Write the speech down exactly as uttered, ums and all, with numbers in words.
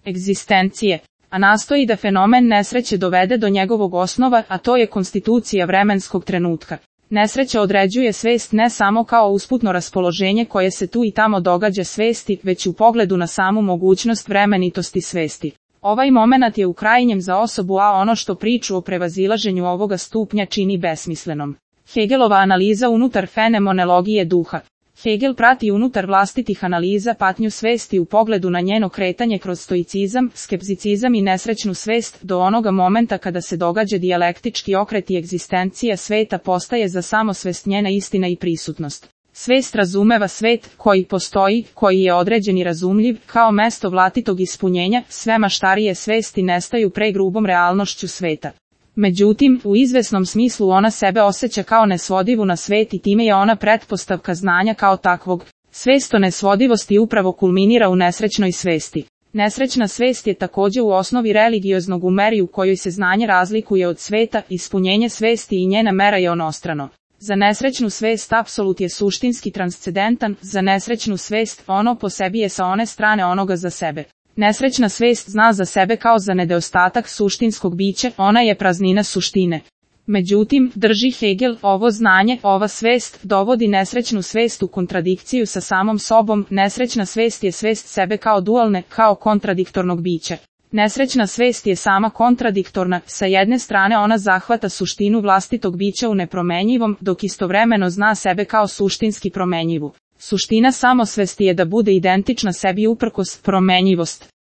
egzistencije, a nastoji da fenomen nesreće dovede do njegovog osnova, a to je konstitucija vremenskog trenutka. Nesreća određuje svest ne samo kao usputno raspoloženje koje se tu i tamo događa svesti, već u pogledu na samu mogućnost vremenitosti svesti. Ovaj momenat je u krajnjem za osobu, a ono što priču o prevazilaženju ovoga stupnja čini besmislenom. Hegelova analiza unutar fenomenologije duha. Hegel prati unutar vlastitih analiza patnju svesti u pogledu na njeno kretanje kroz stoicizam, skepticizam i nesrećnu svest do onoga momenta kada se događa dijalektički okret i egzistencija sveta postaje za samosvest njena istina i prisutnost. Svest razumeva svet koji postoji, koji je određen i razumljiv, kao mesto vlastitog ispunjenja, sve maštarije svesti nestaju pre grubom realnošću sveta. Međutim, u izvesnom smislu ona sebe osjeća kao nesvodivu na svet i time je ona pretpostavka znanja kao takvog. Svest o nesvodivosti upravo kulminira u nesrećnoj svesti. Nesrećna svest je također u osnovi religioznog u meri u kojoj se znanje razlikuje od sveta, ispunjenje svesti i njena mera je onostrano. Za nesrećnu svest apsolut je suštinski transcendentan, za nesrećnu svest ono po sebi je sa one strane onoga za sebe. Nesrećna svest zna za sebe kao za nedostatak suštinskog bića, ona je praznina suštine. Međutim, drži Hegel, ovo znanje, ova svest, dovodi nesrećnu svest u kontradikciju sa samom sobom, nesrećna svest je svest sebe kao dualne, kao kontradiktornog bića. Nesrećna svest je sama kontradiktorna, sa jedne strane ona zahvata suštinu vlastitog bića u nepromenjivom, dok istovremeno zna sebe kao suštinski promenjivu. Suština samosvesti je da bude identična sebi uprkos promenjivost.